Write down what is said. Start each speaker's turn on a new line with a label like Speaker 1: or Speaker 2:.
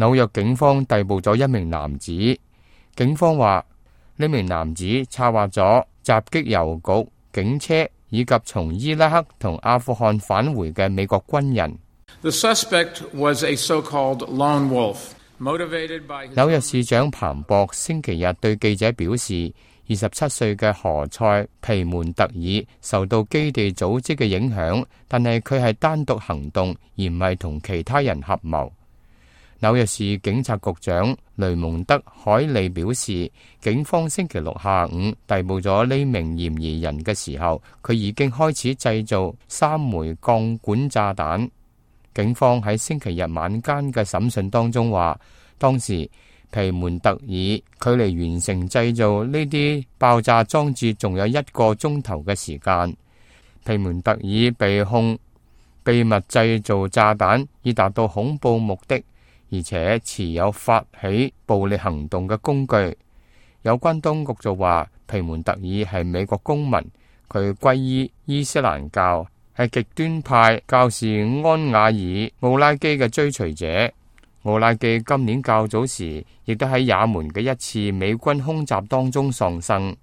Speaker 1: 紐約警方逮捕咗一名男子，警方話呢名男子策劃咗襲擊郵局、警車以及從伊拉克同阿富汗返回嘅美國軍人。
Speaker 2: The suspect was a so-called lone wolf, motivated by his...
Speaker 1: 紐約市長彭博星期日對記者表示，27歲嘅何塞皮門特爾受到基地組織嘅影響，但係佢係單獨行動，而唔係同其他人合謀。紐約市警察局長雷蒙德·海利表示，警方星期六下午逮捕咗呢名嫌疑人嘅時候，佢已經開始製造3枚鋼管炸彈。警方喺星期日晚間嘅審訊當中話，當時皮門特爾距離完成製造呢啲爆炸裝置仲有1個鐘頭嘅時間。皮門特爾被控秘密製造炸彈以達到恐怖目的，而且持有發起暴力行動嘅工具。有關當局就話，皮門特爾係美國公民，佢皈依伊斯蘭教，係極端派教士安瓦爾奧拉基嘅追隨者。奧拉基今年較早時亦都喺也門嘅一次美軍空襲當中喪生。